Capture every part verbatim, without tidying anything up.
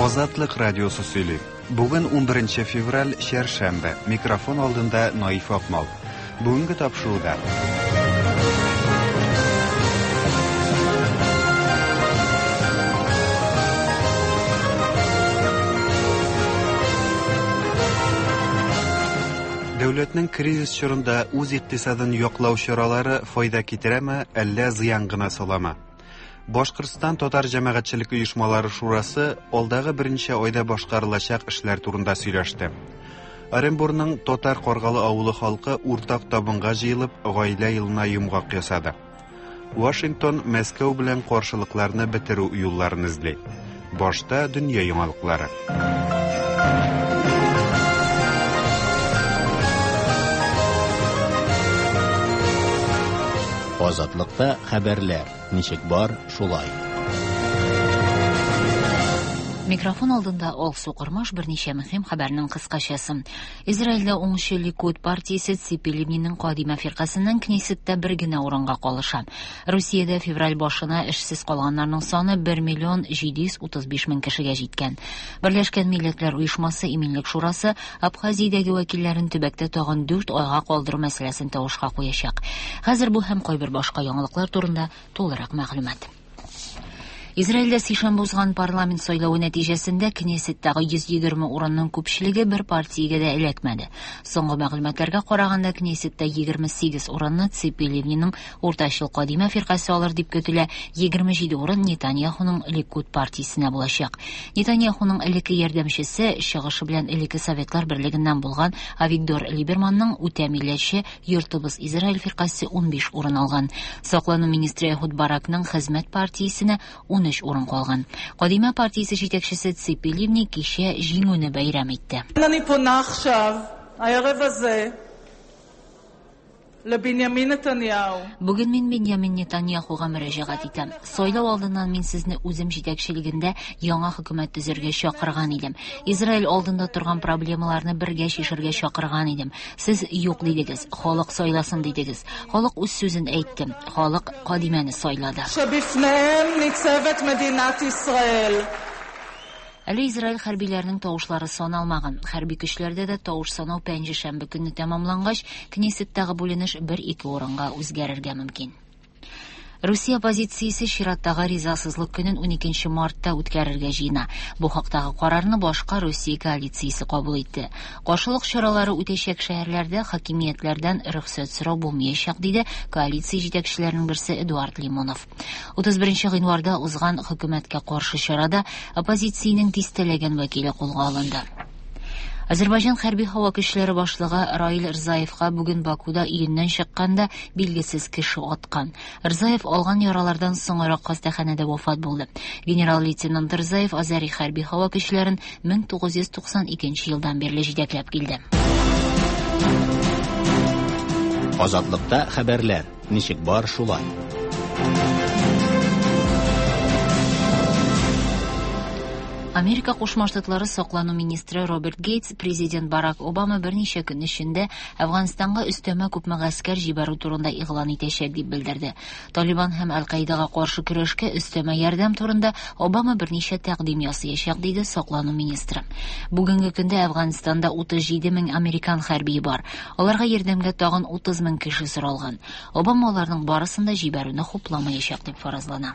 Азатлык радиосы сөйли. Бүген унберенче февраль, чәршәмбе. Микрофон алдында Наиф Акмал. Бүгенге тапшыруда. Дәүләтнең кризис чорында үз икътисадын яклау чаралары файда китерәме, әллә зыян гына саламы? Башкортстан татар җәмәгатьчелек оешмалары шурасы алдагы берничә айда башкарылачак эшләр турында сөйләште. Оренбурның Татар Каргалы авылы халкы уртак табынга җыелып, гаилә елына йомгак ясады. Вашингтон Мәскәү белән каршылыкларны бетерү юлларын эзли. Башта дөнья яңалыклары. Азатлыкта хәбәрләр ничек бар, шулай. Микрофон алдында Алсу Кормаш берничә мөһим хәбәрнең кыскачасы. Израильдә уңышы Ликуд партиясе Ципи Ливниның Кадима фиркасыннан Кнессетта бер генә урынга калыша. Русиядә февраль башына эшсез калганнарның саны бер миллион җиде йөз утыз биш мең кешегә җиткән. Берләшкән Милләтләр Оешмасы Иминлек Шурасы Абхазиядәге вәкилләрен төбәктә тагын дүрт айга калдыру мәсьәләсен тавышка куячак. Хәзер бу һәм кайбер башка яңалыклар турында тулырак мәгълүмат. Израильдә сишәмбе узган парламент сайлавы нәтиҗәсендә Кнессеттагы йөз егерме урынның күпчелеге бер партиягә дә эләкмәде. Соңгы мәгълүматларга караганда Кнессетта егерме сигез урынны Ципи Ливниның Уртачыл Кадима фиркасе алыр дип көтелә, егерме җиде урын Нетаньяхуның Ликуд партиясенә булачак. Нетаньяхуның элекке ярдәмчесе, чыгышы белән элекке Советлар Берлегеннән булган Авигдор Либерманның үтә милләтче Йортыбыз Израиль фиркасе унбиш урын алган. Саклану министры Эхуд Баракның Хезмәт партиясенә ун өч урын калган. Кадима партиясе җитәкчесе Ципи Ливни кичә җиңүне бәйрәм итте. אני פונה עכשיו, הערב הזה, לבנימין נתניהו. Бүген мин Беньямин Нетаньяхуга мөрәҗәгать итәм. Сайлау алдыннан мин сезне үзем җитәкчелегендә яңа хөкүмәт төзергә чакырган идем. Израиль алдында торган проблемаларны бергә чишергә чакырган идем. Сез юк дидегез, халык сайласын дидегез. Халык үз сүзен әйтте. Халык Кадимәне сайлады. שבפניהם ניצבת מדינת ישראל. Әле Израиль хәрбиләренең тавышлары саналмаган. Хәрби көчләрдә дә тавыш санау пәнҗешәмбе көнне тәмамлангач, Кнессеттагы бүленеш бер-ике урынга үзгәрергә мөмкин. Русия оппозициясе чираттагы ризасызлык көнен уникенче мартта үткәрергә җыена. Бу хактагы карарны башка Русия коалициясе кабул итте. Каршылык чаралары үтәчәк шәһәрләрдә хакимиятләрдән рөхсәт сорау булмаячак, диде коалиция җитәкчеләренең берсе Эдуард Лимонов. Утыз беренче гыйнварда узган хөкүмәткә каршы чарада оппозициянең дистәләгән вәкиле кулга алынды. Азербайҗан хәрби һава көчләре башлыгы Раил Рзаевка бүген Бакуда өеннән чыкканда билгесез кеше аткан. Рзаев алган яралардан соңрак хастаханәдә вафат булды. Генерал-лейтенант Рзаев Азәри хәрби һава көчләрен мең тугыз йөз туксан икенче елдан бирле җитәкләп килде. Азатлыкта хәбәрләр ничек бар шулай. Америка Кушма Штатлары саклану министры Роберт Гейтс президент Барак Обама берничә көн эчендә Әфганстанга өстәмә күпме гаскәр җибәрү турында игълан итәчәк дип белдерде. Талибан һәм Аль-Каидага каршы көрәшкә өстәмә ярдәм турында Обама берничә тәкъдим ясаячак, диде саклану министры. Бүгенге көндә Әфганстанда утыз җиде мең американ хәрбие бар. Аларга ярдәмгә тагын утыз мең кеше соралган. Обама аларның барысын да җибәрүне хупламаячак дип фаразлана.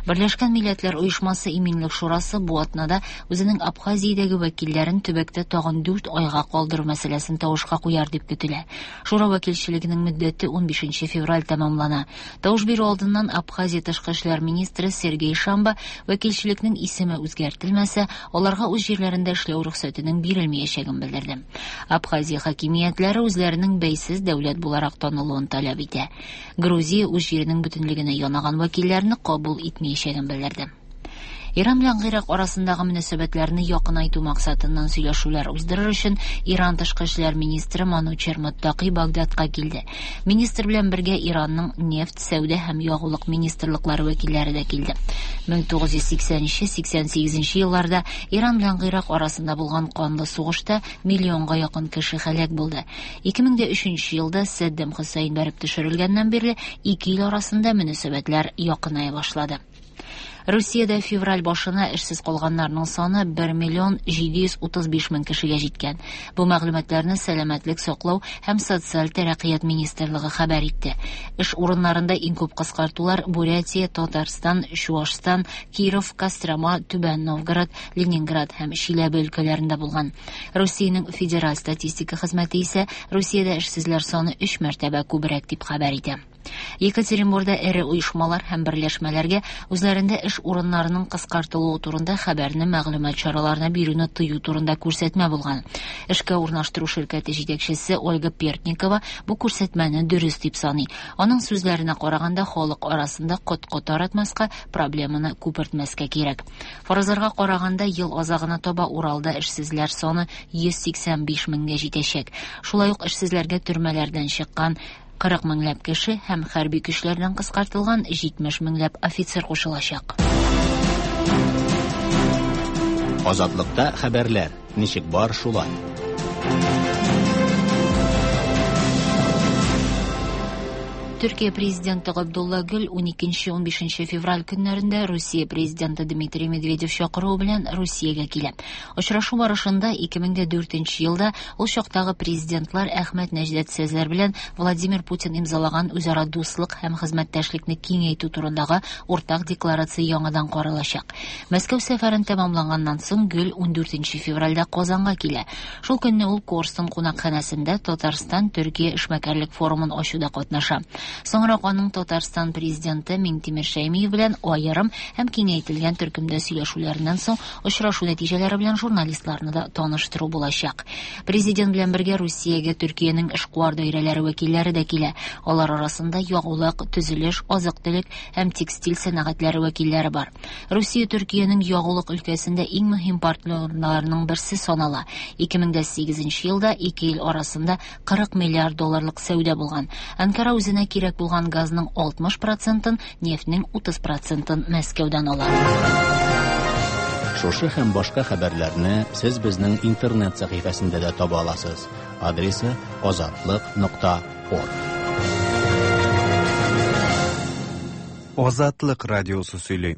Берләшкән Милләтләр Оешмасы Иминлек Шурасы бу атнада үзенең Абхазиядәге вәкилләрен төбәктә тагын дүрт айга калдыру мәсьәләсен тавышка куяр дип көтелә. Шура вәкилчелегенең мөддәте унбишенче февраль тәмамлана. Тавыш бирү алдыннан Абхазия тышкы эшләр министры Сергей Шамба вәкилчелекнең исеме үзгәртелмәсә, аларга үз җирләрендә эшләү рөхсәтенең бирелмәячәген белдерде. Абхазия хакимиятләре үзләренең бәйсез дәүләт буларак танылуын таләп итә. Грузия үз җиренең бөтенлегенә янаган вәкилләрне кабул итмәячәген белдерде. Иран белән Гыйрак арасындагы мөнәсәбәтләрне якынайту максатыннан сөйләшүләр уздырыр өчен Иран тышкы эшләр министры Манучер Муттаки Багдадка килде. Министр белән бергә Иранның нефть, сәүдә һәм ягулык министрлыклары вәкилләре дә килде. Мең тугыз йөз сиксәненче, сиксән сигезенче елларда Иран белән Гыйрак арасында булган канлы сугышта миллионга якын кеше һәлак булды. Ике мең дә өченче елда Саддам Хөсәйн бәреп төшерелгәннән бирле ике ил арасында мөнәсәбәтләр якыная башлады. Русиядә февраль башына эшсез калганнарның саны бер миллион җиде йөз утыз биш мең кешегә җиткән. Бу мәгълүматларны Сәламәтлек саклау һәм социаль тәрәккыят министрлыгы хәбәр итте. Эш урыннарында иң күп кыскартулар Бурятия, Татарстан, Чуашстан, Киров, Кострома, Түбән Новгород, Ленинград һәм Чиләбе өлкәләрендә булган. Русиянең федераль статистика хезмәте исә Русиядә эшсезләр саны өч мәртәбә күбрәк дип хәбәр итә. Екатеринбургда эре оешмалар һәм берләшмәләргә үзләрендә эш урыннарының кыскартылуы турында хәбәрне мәгълүмат чараларына бирүне тыю турында күрсәтмә булган. Эшкә урнаштыру ширкәте җитәкчесе Ольга Пертникова бу күрсәтмәне дөрес дип саный. Аның сүзләренә караганда, халык арасында коткы таратмаска, проблеманы күпертмәскә кирәк. Фаразларга караганда, ел азагына таба Уралда эшсезләр саны йөз сиксән биш меңгә җитәчәк. Шулай ук эшсезләргә төрмәләрдән чыккан кырык меңләп кеше һәм хәрби көчләрдән кыскартылган җитмеш меңләп офицер кушылачак. Азатлыкта хәбәрләр ничек бар шулай. Төркия президенты Габдулла Гүл ун икенче ун бишенче февраль көннәрендә Русия президенты Дмитрий Медведев чакыруы белән Русиягә килә. Очрашу барышында ике мең дә дүртенче елда ул чактагы президентлар Әхмәт Нәҗдәт Сәзәр белән Владимир Путин имзалаган үзара дуслык һәм хезмәттәшлекне киңәйтү турындагы уртак декларация яңадан каралачак. Мәскәү сәфәрен тәмамланганнан соң Гүл ун дүртенче февральдә Казанга килә. Шул көнне ул Корстон кунакханәсендә Татарстан Төркия эшмәкәрлек форумын ачуда катнаша. Соңрак аның Татарстан президенты Миңтимер Шәймиев белән аерым һәм киңәйтелгән төркемдә сөйләшүләреннән соң очрашу нәтиҗәләре белән журналистларны да таныштыру булачак. Президент белән бергә Русиягә Төркиянең эшкуар даирәләре вәкилләре дә килә. Алар арасында ягулык, төзелеш, азык-төлек һәм текстиль сәнәгатьләре вәкилләре бар. Русия Төркиянең ягулык өлкәсендә иң мөһим партнерларының берсе санала. Ике мең дә сигезенче елда ике ил арасында кырык миллиард долларлык сәүдә булган. Анкара үзенә кирәк булган газның алтмыш процентын, нефтьнең утыз процентын Мәскәүдән ала. Шушы һәм башка хәбәрләрне сез безнең интернет сәхифәсендә дә таба аласыз. Адресы азатлык нокта орг. Азатлык радиосы сөйли.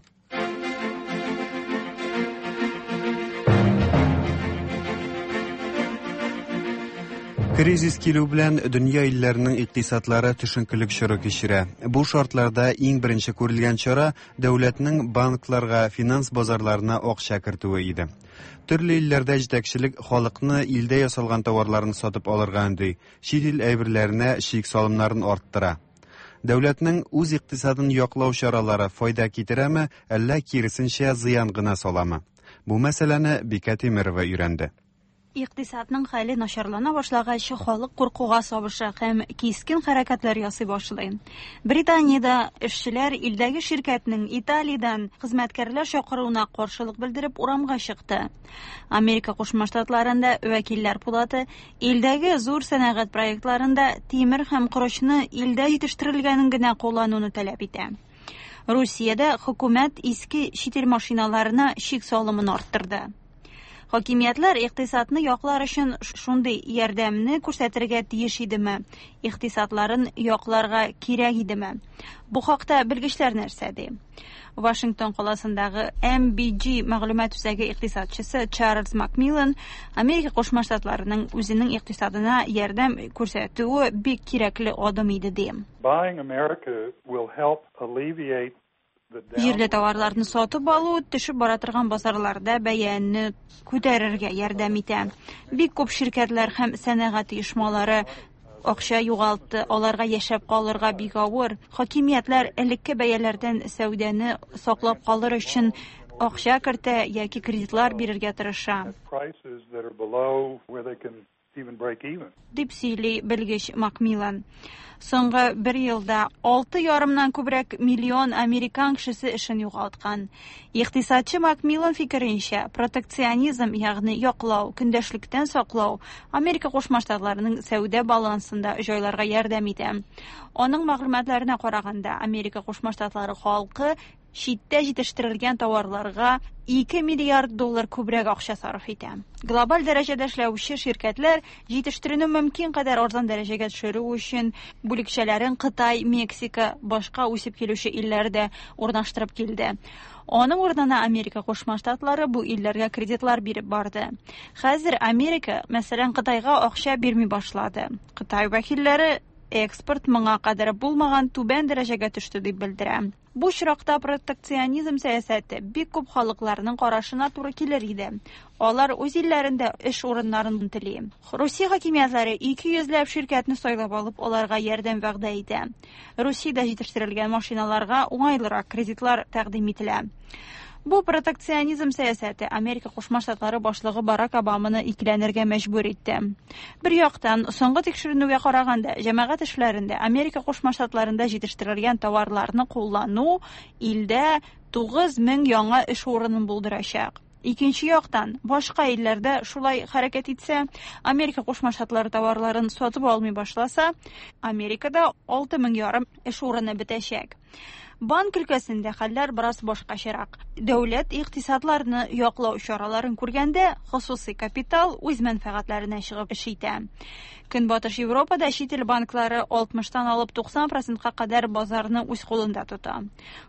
Кризис килү белән дөнья илләренең икътисадлары төшенкелек чоры кичерә. Бу шартларда иң беренче күрелгән чара дәүләтнең банкларга, финанс базарларына акча кертүе иде. Төрле илләрдә җитәкчелек халыкны илдә ясалган товарларын сатып алырга өнди, чит ил әйберләренә чик салымнарын арттыра. Дәүләтнең үз икътисадын яклау чаралары файда китерәме, әллә киресенчә зыян гына саламы? Бу мәсьәләне Бикә Тимирова өйрәнде. Икътисадның хәле начарлана башлагач, халык куркуга сабыша һәм кискен хәрәкәтләр ясый башлый. Британиядә эшчеләр илдәге ширкәтнең Италиядән хезмәткәрләр чакыруына каршылык белдереп урамга чыкты. Америка Кушма Штатларында вәкилләр пулаты илдәге зур сәнәгать проектларында тимер һәм корычны илдә җитештерелгәнен генә куллануны таләп итә. Русиядә хөкүмәт иске чит ил машиналарына чик салымын арттырды. Хакимиятләр икътисадны яклар өчен шундый ярдәмне күрсәтергә тиеш идеме? Икътисадларын якларга кирәк идеме? Бу хакта белгечләр нәрсә ди? Вашингтон каласындагы М Б G мәгълүмат үзәге икътисадчысы Чарльз Макмиллан Америка Кушма Штатларының үзенең икътисадына ярдәм күрсәтүе бик кирәкле адым иде ди. Buying America will help alleviate Җирле товарларны сатып алу төшеп бара торган базарларда бәяне күтәрергә ярдәм итә. Бик күп ширкәтләр һәм сәнәгать оешмалары акча югалтты, аларга яшәп калырга бик авыр. Хакимиятләр элекке бәяләрдән сәүдәне саклап калыр өчен акча кертә яки кредитлар бирергә тырыша. Дип сөйли белгеч Макмиллан. Соңгы бер елда алты ярымнан күбрәк миллион американ кешесе эшен югалткан. Икътисадчы Макмиллан фикеренчә, протекционизм, ягъни яклау, көндәшлектән саклау Америка Кушма Штатларының сәүдә балансында җайларга ярдәм итә. Аның мәгълүматларына караганда, Америка Кушма Штатлары халкы читтә җитештерелгән товарларга ике миллиард доллар күбрәк акча сарыф итә. Глобаль дәрәҗәдә эшләүче ширкәтләр җитештерүне мөмкин кадәр арзан дәрәҗәгә төшерү өчен Бүлекчәләрен Кытай, Мексика, башка үсеп килүче илләрдә урнаштырып килде. Аның урынына Америка Кушма Штатлары бу илләргә кредитлар биреп барды. Хәзер Америка, мәсәлән, Кытайга акча бирми башлады. Кытай вәкилләре экспорт моңа кадәр булмаган түбән дәрәҗәгә төште дип белдерә. Бу очракта протекционизм сәясәте бик күп халыкларның карашына туры килер иде. Алар үз илләрендә эш урыннарын тели. Русия хакимиятләре ике йөзләп ширкәтне сайлап алып, аларга ярдәм вәгъдә итә. Русиядә җитештерелгән машиналарга уңайлырак кредитлар тәкъдим ителә. Бу протекционизм сәясәте Америка Кушма Штатлары башлыгы Барак Обаманы икеләнергә мәҗбүр итте. Бер яктан, соңгы тикшеренүгә караганда, җәмәгать эшләрендә Америка Кушма Штатларында җитештерелгән товарларны куллану илдә тугыз мең яңа эш урынын булдырачак. Икенче яктан, башка илләрдә шулай хәрәкәт итсә, Америка Кушма Штатлары товарларын сатып алмый башласа, Америкада алты мең ярым эш урыны бетәчәк. Банк өлкәсендә хәлләр бераз башкачарак. Дәүләт икътисадларны яклау чараларын күргәндә, хосусый капитал үз мәнфәгатьләренә чыгып эш итә. Көнбатыш Европада чит ил банклары алтмыштан алып туксан процентка кадәр базарны үз кулында тота.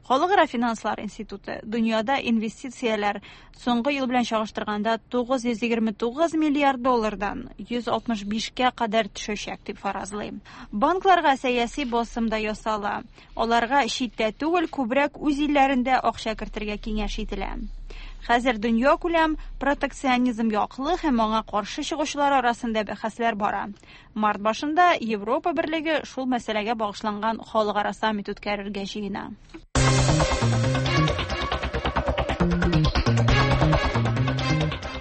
Халыкара финанслар институты дөньяда инвестицияләр соңгы ел белән чагыштырганда тугыз йөз егерме тугыз миллиард доллардан йөз алтмыш бишкә кадәр төшәчәк дип фаразлый. Банкларга сәяси басым да ясала. Аларга читтә түгел, күбрәк үз илләрендә акча кертергә киңәш ителә. Хәзер дөнья күләм протекционизм яклы һәм аңа каршы чыгучылар арасында бәхәсләр бара. Март башында Европа Берлеге шул мәсьәләгә багышланган халыкара саммит үткәрергә җыена.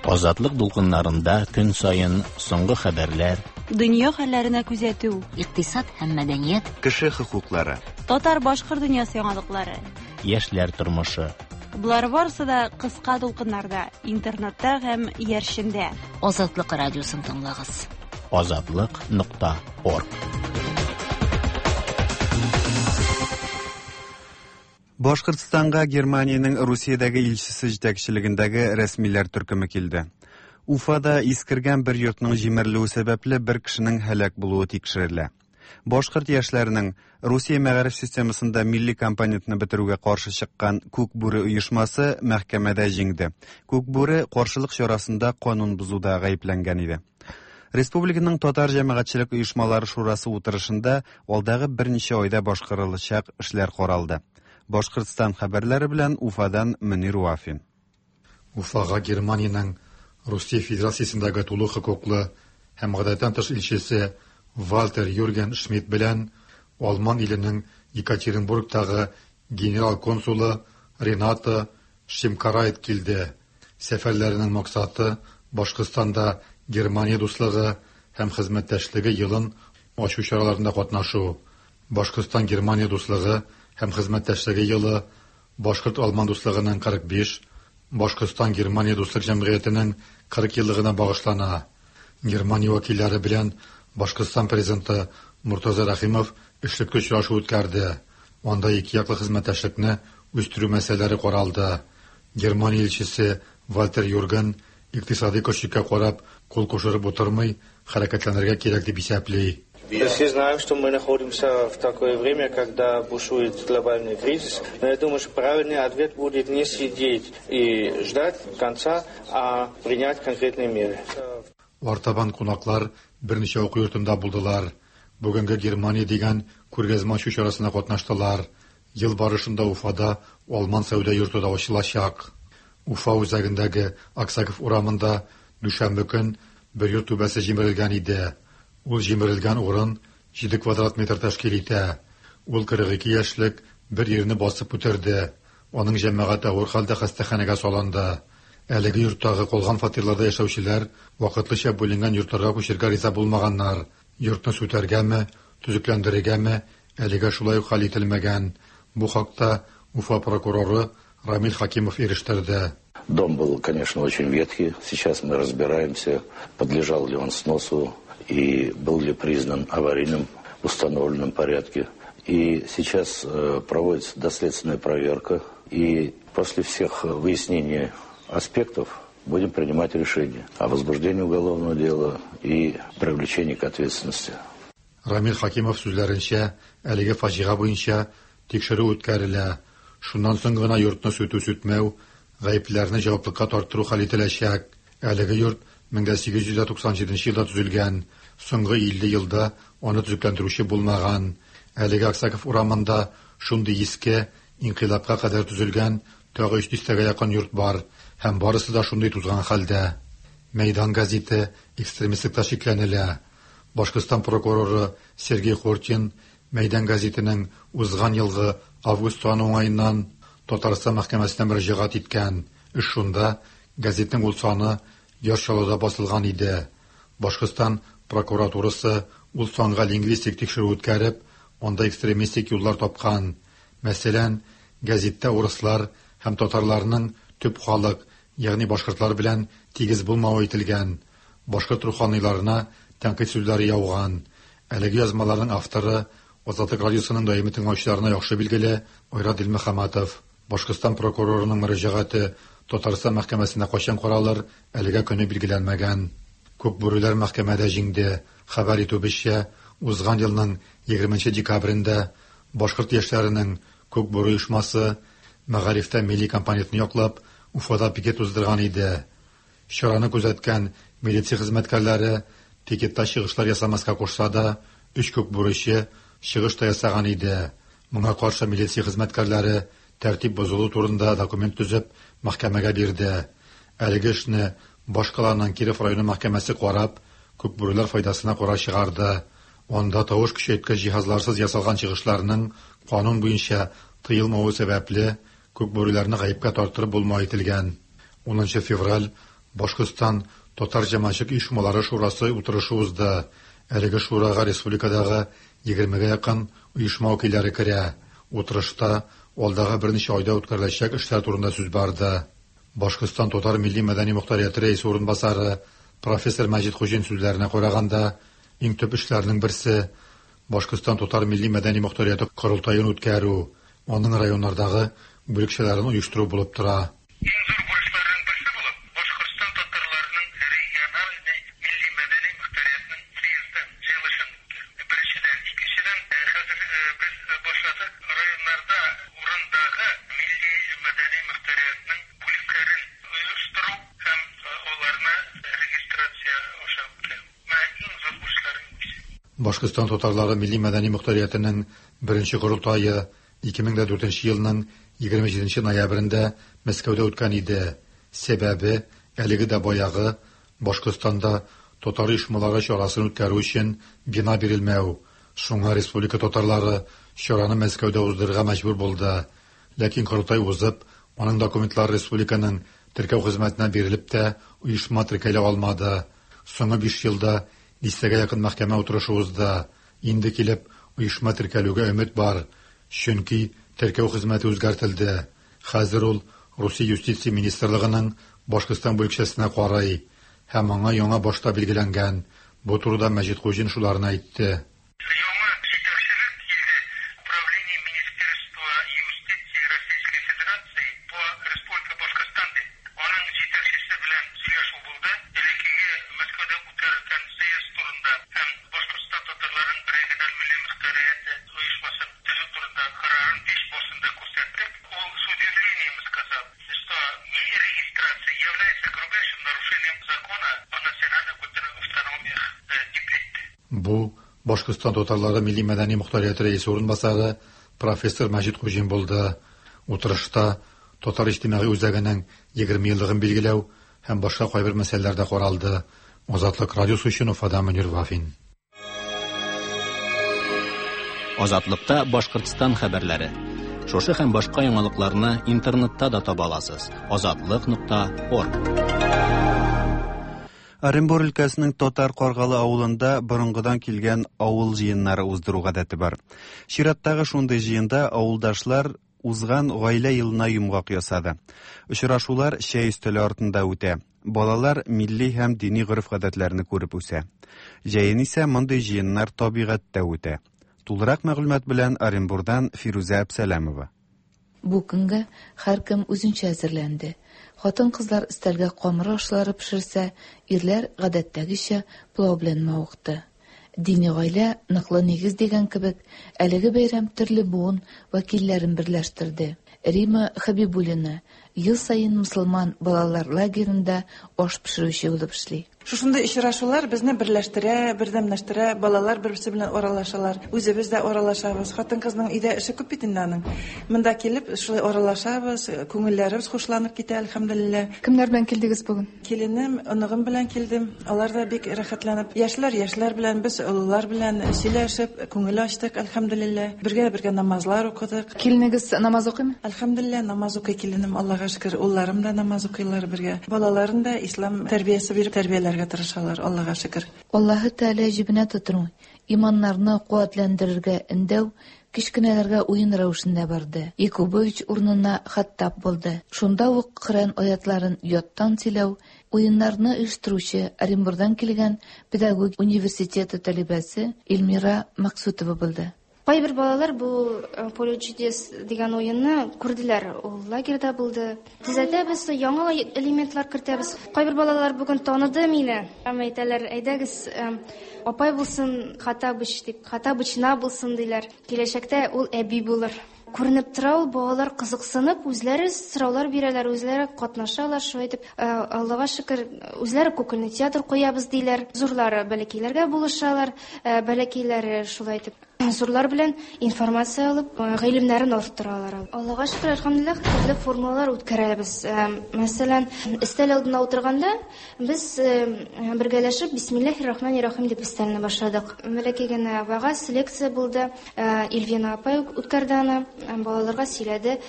Азатлык дулкыннарында көн саен соңгы хәбәрләр, дөнья хәлләренә күзәтү, икътисад һәм мәдәният, кеше хокуклары, татар-башкорт дөньясы яңалыклары, яшьләр тормышы. Болар барысы да кыска дулкыннарда, интернетта һәм иярчендә. Азатлык радиосын тыңлагыз. Азатлык нокта орг. Башкортстанга Германиянең Русиядәге илчесе җитәкчелегендәге рәсмиләр төркеме килде. Уфада искергән бер йортның җимерелүе сәбәпле бер кешенең һәлак булуы тикшерелә. Башкорт яшьләренең Русия мәгариф системасында милли компонентны бетерүгә каршы чыккан Күк бүре оешмасы мәхкәмәдә җиңде. Күк бүре каршылык чарасында канун бозуда гаепләнгән иде. Республиканың татар җәмәгатьчелек оешмалары шурасы утырышында алдагы берничә айда башкарылачак эшләр каралды. Башкортстан хәбәрләре белән Уфадан Мөнир Вафин. Уфага Германиянең Русия Федерациясендәге тулы хокуклы һәм гадәттән тыш илчесе Вальтер Юрген Шмидт белән Алман иленең Екатеринбургтагы генерал консулы Рената Шимкарайт килде. Сәфәрләренең максаты Башкортстанда Германия дуслыгы һәм хезмәттәшлеге елын ачу чараларында катнашу. Башкортстан Германия дуслыгы һәм хезмәттәшлеге елы Башкорт-Алман дуслыгының кырык биш, Башкортстан Германия дуслык җәмгыятенең кырык еллыгына багышлана. Германия вәкилләре белән Башкортстан президенты Муртаза Рәхимов эшлекле очрашу үткәрде. Анда ике яклы хезмәттәшлекне үстерү мәсьәләләре каралды. Германия илчесе Вальтер Юрген икътисади көршеккә карап, кул кушырып утырмый, хәрәкәтләнергә кирәк дип исәпли. Все знаем, что мы находимся в такое время, когда бушует глобальный кризис. Но я думаю, что правильный ответ будет не сидеть и ждать конца, а принять конкретные меры. Артабан кунаклар берничә уку йортында булдылар. Бүгенге Германия дигән күргәзмә ачу чарасына катнаштылар. Ел барышында Уфада Алман сәүдә йорты да ачылачак. Уфа үзәгендәге Аксаков урамында дүшәмбе көн бер йорт түбәсе җимерелгән иде. Ул җимерелгән урын җиде квадрат метр тәшкил итә. Ул кырык ике яшьлек бер ирне басып үтерде. Аның җәмәгате авыр хәлдә хастаханәгә салынды. Әлеге йорттагы калган фатирларда яшәүчеләр вакытлыча бүленгән йортларга күчергә риза булмаганнар. Йортны сүтәргәме, төзекләндерергәме әлегә шулай ук хәл ителмәгән. Бу хакта Уфа прокуроры Рамиль Хакимов ирештерде. Дом был, конечно, очень ветхий. Сейчас мы разбираемся, подлежал ли он сносу и был ли признан аварийным в установленном порядке. И сейчас проводится доследственная проверка. И после всех выяснений аспектов будем принимать решение о возбуждении уголовного дела и привлечении к ответственности. Рамил Хакимов сүзләренчә, әлеге фаҗига буенча тикшерү үткәрелә. Шуннан соң гына йортны сүтү-сүтмәү, гаеплеләрне җаваплылыкка тарттыру хәл ителәчәк. Әлеге йорт мең сигез йөз туксан җиденче елда төзелгән. Соңгы илле елда аны төзекләндерүче булмаган. Әлеге Аксаков урамында шундый иске, инкыйлабка кадәр төзелгән тагы өч дистәгә якын йорт бар һәм барысы да шундый тузган хәлдә. Мәйдан газеты экстремистлыкта шикләнелә. Башкортстан прокуроры Сергей Хортин Мәйдан газетының узган елгы август саны уңаеннан Татарстан мәхкәмәсенә мөрәҗәгать иткән. Эш шунда, газетның ул саны Яр Чаллыда басылган иде. Башкортстан прокуратурасы ул санга лингвистик тикшерү үткәреп, анда экстремистик юллар тапкан. Мәсәлән, газетта урыслар һәм татарларның төп халык, ягъни башкортлар белән тигез булмавы әйтелгән. Башкорт руханиларына тәнкыйть сүзләре яуган. Әлеге язмаларның авторы Азатлык радиосының даими тыңлаучыларына яхшы билгеле Айрат Дилмөхәммәтов. Башкортстан прокурорының мөрәҗәгате Татарстан мәхкәмәсендә кайчан каралыр, әлегә көне билгеләнмәгән. Күк бүреләр мәхкәмәдә җиңде. Хәбәр итүебезчә, узган елның егерменче декабрендә башкорт яшьләренең Күк бүре оешмасы мәгарифтә милли компонентны яклап Уфада пикет уздырган иде. Чараны күзәткән милиция хезмәткәрләре пикетта чыгышлар ясамаска кушса да, өч күк бүрече чыгыш та ясаган иде. Моңа каршы милиция хезмәткәрләре тәртип бозылу турында документ төзеп мәхкәмәгә бирде. Әлеге эшне башкаланың Киров районы мәхкәмәсе карап, күк бүреләр файдасына карар чыгарды. Анда тавыш көчәйткеч җиһазларсыз ясалган чыгышларның канун буенча тыелмавы сәбәпле күк бүреләрне гаепкә тарттырып булмай әйтелгән. Унынчы февраль Башкортстан татар җәмәгатьчелек оешмалары шурасы утырышы узды. Әлеге шурага республикадагы егермегә якын оешма вәкилләре керә. Утырышта алдагы берничә айда үткәреләчәк эшләр турында сүз барды. Башкортстан татар милли мәдәни мохтарияте рәисе урынбасары профессор Мәҗит Хуҗин сүзләренә караганда, иң төп эшләрнең берсе Башкортстан татар милли мәдәни мохтарияте корылтаен үткәрү, аның районнардагы бүлекчәләрен оештыру булып тора. Иң зур бурычларның берсе булып Башкортстан татарларының региональ милли мәдәни мохтариятының съезды җыелышын үткәрү. Беренчедән, икенчедән, хәзер без башладык районнарда урындагы милли мәдәни мохтариятның бүлекләрен оештыру һәм аларны регистрация аша үткәрү. Менә иң зур бурычларның берсе. Башкортстан татарлары милли мәдәни мохтариятының беренче корылтае ике мең дүртенче елның егерме җиденче ноябрендә Мәскәүдә үткән иде. Сәбәбе әлеге дә баягы Башкортстанда татар оешмалары чарасын үткәрү өчен бина бирелмәү. Шуңа республика татарлары чараны Мәскәүдә уздырырга мәҗбүр булды. Ләкин корылтай узып, аның документлары республиканың теркәү хезмәтенә бирелеп тә оешма теркәлә алмады. Соңгы биш елда дистәгә якын мәхкәмә утырышы узды. Инде килеп оешма теркәлүгә өмет бар. Чөнки теркәү хезмәте үзгәртелде. Хәзер ул Русия юстиция министрлыгының Башкортстан бүлекчәсенә карый һәм аңа яңа башта билгеләнгән. Бу турыда Мәҗит Хуҗин шуларны әйтте. Яңа җитәкчелек килде. Управление Министерства юстиции Российской Федерации по Республика Башкортстан дип. Аның җитәкчесе белән сөйләшү булды. Элеккеге Мәскәүдә үткәрелгән съезд турында һәм Башкортстан татарларының региональ милли мохтарияте оешмасын төзү турында карарын биш басында күрсәттек. Ул с удивлением сказал, что нерегистрация является грубейшим нарушением закона о национальных культурных автономиях дип әйтте. Бу Башкортстан татарлары милли мәдәни мохтарияте рәисе урынбасары профессор Мәҗит Хуҗин булды. Утырышта Татар иҗтимагый үзәгенең егерме еллыгын билгеләү һәм башка кайбер мәсьәләләр дә каралды. Азатлык радиосы өчен Уфадан Мөнир Вафин. Азатлыкта Башкортстан хәбәрләре. Шушы һәм башка яңалыкларны интернетта да таба аласыз. Азатлык нокта орг. Оренбур өлкәсенең Татар Каргалы авылында борынгыдан килгән авыл җыеннары уздыру гадәте бар. Чираттагы шундый җыенда авылдашлар узган гаилә елына йомгак ясады. Очрашулар чәй өстәле артында үтә. Балалар милли һәм дини гореф-гадәтләрне күреп үсә. Җәен исә мондый җыеннар табигатьтә үтә. Тулырак мәгълүмат белән Оренбурдан Фирүзә Әпсәләмова. Бу көнгә һәркем үзенчә әзерләнде. Хатын-кызлар өстәлгә камыр ашлары пешерсә, ирләр гадәттәгечә пылау белән мавыкты. Дини гаилә ныклы нигез дигән кебек, әлеге бәйрәм төрле буын вәкилләрен берләштерде. Рима Хабибуллина ел саен мөселман балалар лагерында аш пешерүче булып эшли. Шушындый очрашулар безне берләштерә, бердәмләштерә, балалар бер-берсе белән аралашалар. Үзебез дә аралашабыз. Хатын-кызның өйдә эше күп бит инде аның. Монда килеп шулай аралашабыз, күңелләребез хушланып китә, әлхәмдүлилләһ. Кемнәр белән килдегез бүген? Киленем, оныгым белән килдем. Алар да бик рәхәтләнеп, яшьләр яшьләр белән, без олылар белән сөйләшеп, күңел ачтык, әлхәмдүлилләһ. Бергә-бергә намазлар укыдык. Киленегез намаз укыймы? Әлхәмдүлилләһ, намаз укый киленем, Аллага шөкер. Улларым да намаз укыйлар бергә. Балаларын да ислам тәрбиясе биреп тәрбияләргә тырышалар, Аллага шөкер. Аллаһы Тәгалә җебенә тотыну, иманнарны куәтләндерергә өндәү кечкенәләргә уен рәвешендә барды. Якубович урынына Хаттаб булды. Шунда ук Коръән аятларын яттан сөйләү, уеннарны оештыручы Оренбургтан килгән педагогик университеты талибәсе Эльмира Максутова булды. Кайбер балалар бу Поле чудес дигән уенны күрделәр. Ул лагерьда булды. Төзәтәбез, яңа элементлар кертәбез. Кайбер балалар бүген таныды мине. Һәм әйтәләр, әйдәгез, апай булсын, Хаттабыч дип, Хаттабычна булсын диләр. Киләчәктә ул әби булыр. Күренеп тора, ул балалар кызыксынып, үзләре сораулар бирәләр, үзләре катнашалар. Шулай итеп, Аллага шөкер, үзләре кукольный театр куябыз диләр. Зурлары бәләкәйләргә булышалар, бәләкәйләре шулай итеп зурлар белән информация алып, гыйлемнәрен арттыралар. Аллага шөкер, әлхәмдүлилләһ, төрле формалар үткәрәбез. Мәсәлән, өстәл алдына утырганда без бергәләшеп Бисмиллаһир-рахманир-рахим дип өстәлне башладык. Бәләкәй генә вагаз лекция булды. Эльвина апай үткәрде аны, балаларга сөйләде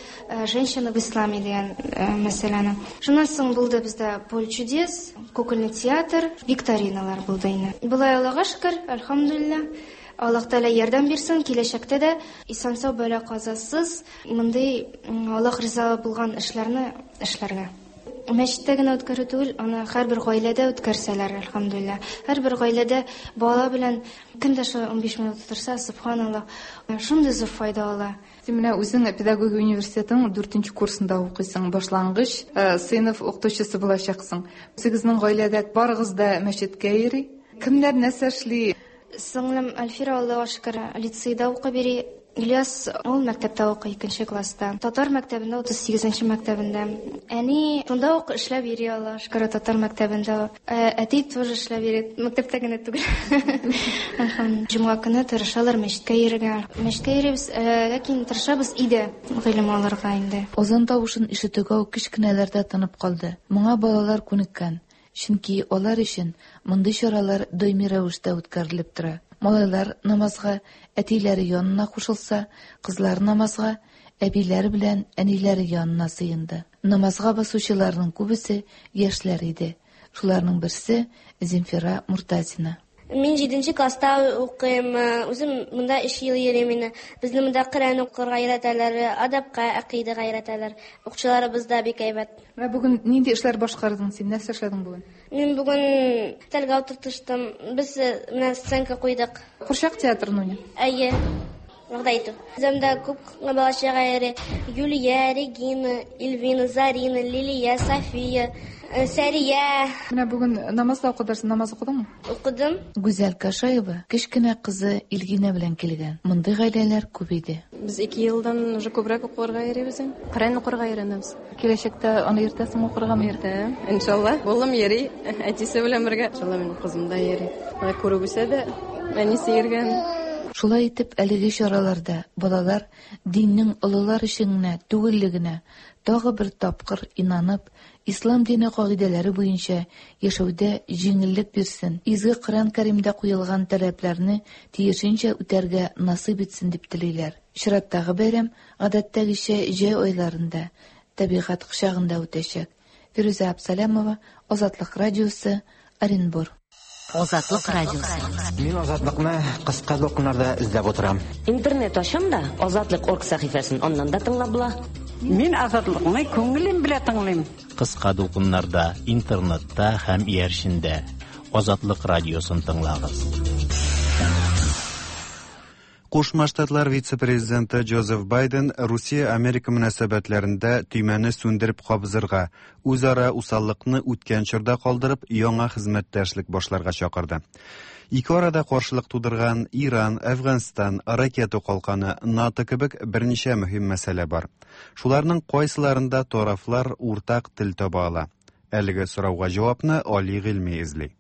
«Женщина в исламе» дигән мәсьәләне. Шуннан соң булды бездә Поле чудес, кукольный театр, викториналар булды инде. Болай Аллага шөкер, әлхәмдүлилләһ. Аллаһ Тәгалә ярдәм бирсен, киләчәктә дә исән-сау, бәла казасыз мондый Аллаһ риза булган эшләрне эшләргә. Мәчеттә генә үткәрү түгел, аны һәрбер гаиләдә үткәрсәләр, әлхәмдүлилләһ. Һәрбер гаиләдә бала белән көн дә шулай унбиш минут утырса, субханаллаһ, шундый зур файда ала. Син менә үзең педагогия университетының дүртенче курсында укыйсың, башлангыч сыйныф укытучысы булачаксың. Үзегезнең гаиләдә барыгыз да мәчеткә йөри. Кемнәр нәрсә эшли? Сеңлем Альфира, Аллага шөкер, лицейда укый бери. Ильяс ул мәктәптә укый, икенче класста. Татар мәктәбендә, утыз сигезенче мәктәбендә. Әни шунда ук эшләп йөри, Аллага шөкер, татар мәктәбендә. Әти тоже эшләп йөри, мәктәптә генә түгел. Җомга көне тырышалар мәчеткә йөрергә. Мәчеткә йөрибез, ләкин тырышабыз өйдә гыйлем алырга инде. Азан тавышын ишетүгә үк кечкенәләр дә тынып калды. Моңа балалар күнеккән. Чөнки алар өчен мондый чаралар даими рәвештә үткәрелеп тора. Малайлар намазга әтиләре янына кушылса, кызлар намазга әбиләре белән әниләре янына сыенды. Намазга басучыларның күбесе яшьләр иде. Шуларның берсе Земфира Муртазина. Мин җиденче класста укыйм. Үзем монда өч ел йөрим инде. Безне монда Коръән укырга өйрәтәләр, адабка, акыйдага өйрәтәләр. Укучыларыбыз да бик әйбәт. Менә бүген нинди эшләр башкардың син? Нәрсә эшләдең бүген? Мин бүген тәлгә утыртыштым. Без менә сценка куйдык. Курчак театрын уйный. Әйе. Вәгъдә итү. Үземдә күп бала чага йөри. Юлия, Регина, Эльвина, Зарина, Лилия, София, Сәрия. Менә бүген намаз да укыдырсың, намаз укыдыңмы? Укыдым. Гүзәл Кашаева кечкенә кызы Илгинә белән килгән. Мондый гаиләләр күп иде. Без ике елдан уже күбрәк укырга йөрибез. Коръән укырга өйрәнәбез. Киләчәктә аны иртәсең укыргамы? Иртә, иншалла. Улым йөри, әтисе белән бергә. Иншалла, минем кызым да йөри. Аны күреп үсә дә, әнисе йөргән. Шулай итеп, әлеге чараларда балалар диннең олылар өчен генә түгеллегенә тагы бер тапкыр инанып, ислам дине кагыйдәләре буенча яшәүдә җиңеллек бирсен, изге Коръән Кәримдә куелган таләпләрне тиешенчә үтәргә насыйп итсен дип телиләр. Чираттагы бәйрәм гадәттәгечә җәй айларында, табигать кочагында үтәчәк. Фирүзә Абсалямова, Азатлык радиосы, Оренбур. Азатлык радиосы. Мин Азатлыкны кыска дулкыннарда эзләп утырам. Интернет ачам да Азатлык орг сәхифәсен аннан да тыңлап була. Мин Азатлыкны күңелем белән тыңлыйм. Кыска дулкыннарда, интернетта һәм иярчендә Азатлык радиосын тыңлагыз. Кушма Штатлар вице-президенты Джозеф Байден Русия-Америка мөнәсәбәтләрендә төймәне сүндереп кабызырга, үзара усаллыкны үткән чорда калдырып, яңа хезмәттәшлек башларга чакырды. Ике арада каршылык тудырган Иран, Әфганстан, ракета калканы, НАТО кебек берничә мөһим мәсьәлә бар. Шуларның кайсыларында тарафлар уртак тел таба ала? Әлеге сорауга җавапны Али Гыйльми эзли.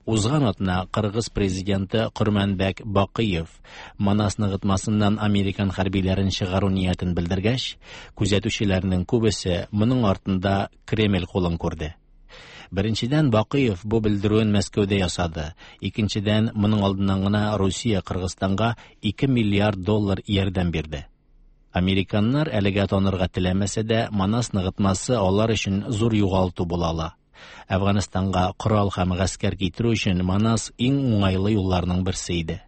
Узган атна Кыргыз президенты Курманбек Бакыев Манас ныгытмасыннан американ хәрбиләрен чыгару ниятен белдергәч, күзәтүчеләрнең күбесе моның артында Кремль кулын күрде. Беренчедән, Бакыев бу белдерүен Мәскәүдә ясады. Икенчедән, моның алдыннан гына Русия Кыргызстанга ике миллиард доллар ярдәм бирде. Американнар әлегә танырга теләмәсә дә, Манас ныгытмасы алар өчен зур югалту була ала. Әфганстанга корал һәм гаскәр китерү өчен Манас иң уңайлы юлларның берсе иде.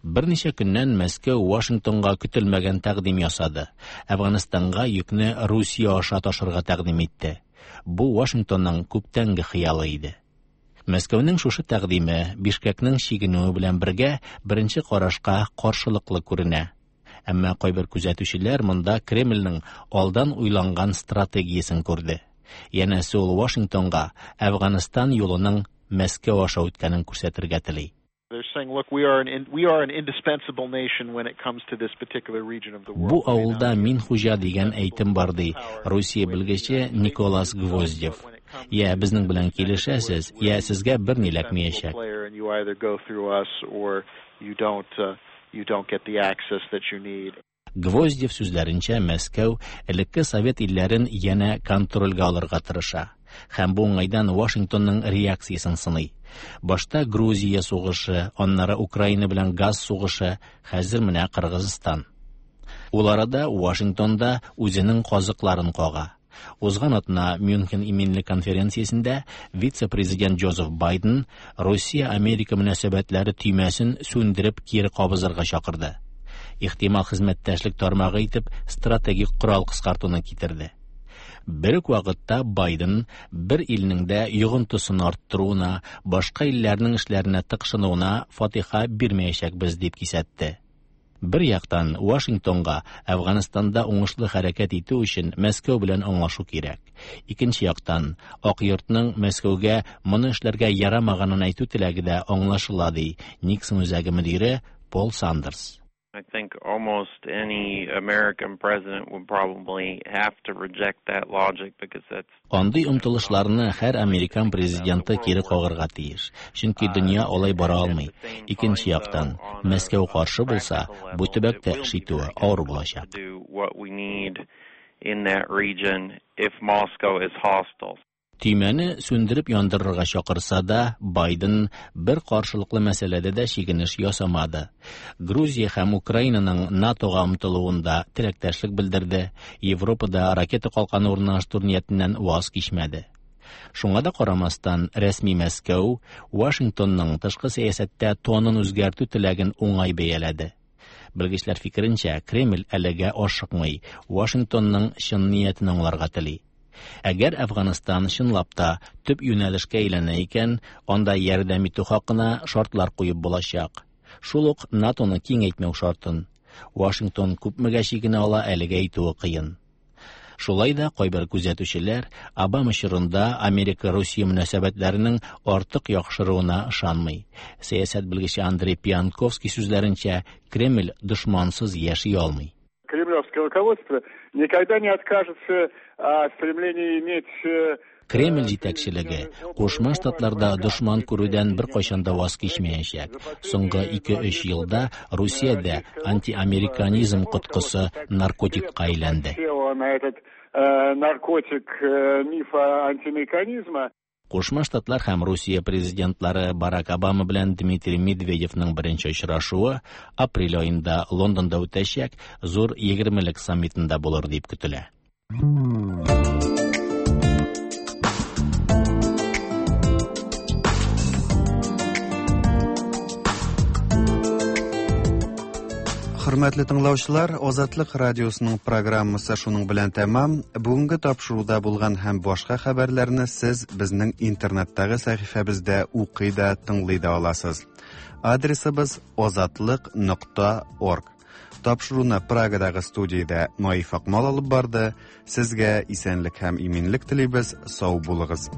Берничә көннән Мәскәү Вашингтонга көтелмәгән тәкъдим ясады. Әфганстанга йөкне Русия аша ташырга тәкъдим итте. Бу Вашингтонның күптәнге хыялы иде. Мәскәүнең шушы тәкъдиме Бишкекнең чигенүе белән бергә беренче карашка каршылыклы күренә. Әмма кайбер күзәтүчеләр монда Кремльнең алдан уйланган стратегиясен күрде. Янәсе ул Вашингтонга Әфганстан юлының Мәскәү аша үткәнен күрсәтергә тели. Бу авылда мин хуҗа дигән әйтем бар, ди Русия белгече Николас Гвоздев. Я безнең белән килешәсез, я сезгә берни эләкмәячәк. Гвоздев сүзләренчә, Мәскәү элекке совет илләрен янә контрольгә алырга тырыша. Һәм бу уңайдан Вашингтонның реакциясен сыный. Башта Грузия сугышы, аннары Украина белән газ сугышы, хәзер менә Кыргызстан. Ул арада Вашингтонда үзенең казыкларын кага. Узган атна Мюнхен иминлек конференциясендә вице-президент Джозеф Байден Русия-Америка мөнәсәбәтләре төймәсен сүндереп кире кабызырга чакырды. Ихтимал хезмәттәшлек тармагы итеп стратегик корал кыскартуны китерде. Бер үк вакытта Байден бер илнең дә йогынтысын арттыруына, башка илләрнең эшләренә тыкшынуына фатиха бирмәячәкбез дип кисәтте. Бер яктан Вашингтонга Әфганстанда уңышлы хәрәкәт итү өчен Мәскәү белән аңлашу кирәк. Икенче яктан, Ак йортның Мәскәүгә моны эшләргә ярамаганын әйтү теләге дә аңлашыла, ди Никсон үзәге мөдире Пол Сандерс. I think almost any American president would probably have to reject that logic because that's Андый омтылышларны һәр американ президенты кире кагарга тиеш, чөнки дөнья алай бара алмый. Икенче яктан, Мәскәү каршы булса, бу төбәктә эш итүе авыр булачак. do what we need in that region if Moscow is hostile. Төймәне сүндереп яндырырга чакырса да, Байден бер каршылыклы мәсьәләдә дә чигенеш ясамады. Грузия һәм Украинаның НАТОга омтылуында теләктәшлек белдерде, Европада ракета калканы урнаштыру ниятеннән ваз кичмәде. Шуңа да карамастан, рәсми Мәскәү Вашингтонның тышкы сәясәттә тонын үзгәртү теләген уңай бәяләде. Белгечләр фикеренчә, Кремль әлегә ашыкмый, Вашингтонның чын ниятен аңларга тели. Әгәр Әфганстан чынлап та төп юнәлешкә әйләнә икән, анда ярдәм итү хакына шартлар куеп булачак. Шул ук НАТОны киңәйтмәү шартын. Вашингтон күпмегә чигенә ала, әлегә әйтүе кыен. Шулай да кайбер күзәтүчеләр Обама чорында Америка-Русия мөнәсәбәтләренең артык яхшыруына ышанмый. Сәясәт белгече Андрей Пьянковский сүзләренчә, Кремль дошмансыз яши алмый. Кремлевское руководство никогда не откажется от стремления иметь Кремль җитәкчелеге Кушма Штатларда дошман күрүдән беркайчан да ваз кичмәячәк. Соңгы ике-өч елда Русиядә антиамериканизм коткысы наркотикка әйләнде. На этот э, наркотик э, мифа антиамериканизма. Кушма Штатлар һәм Русия президентлары Барак Обама белән Дмитрий Медведевның беренче очрашуы апрель аенда Лондонда үтәчәк зур егермелек саммитында булыр дип көтелә. Хөрмәтле тыңлаучылар, Азатлык радиосының программасы шуның белән тәмам. Бүгенге тапшыруда булган һәм башка хәбәрләрне сез безнең интернеттагы сәхифәбездә укый да, тыңлый да аласыз. Адресыбыз азатлык нокта орг. Тапшыруны Прагадагы студиядә Наиф Акмал алып барды. Сезгә исәнлек һәм иминлек телибез. Сау булыгыз.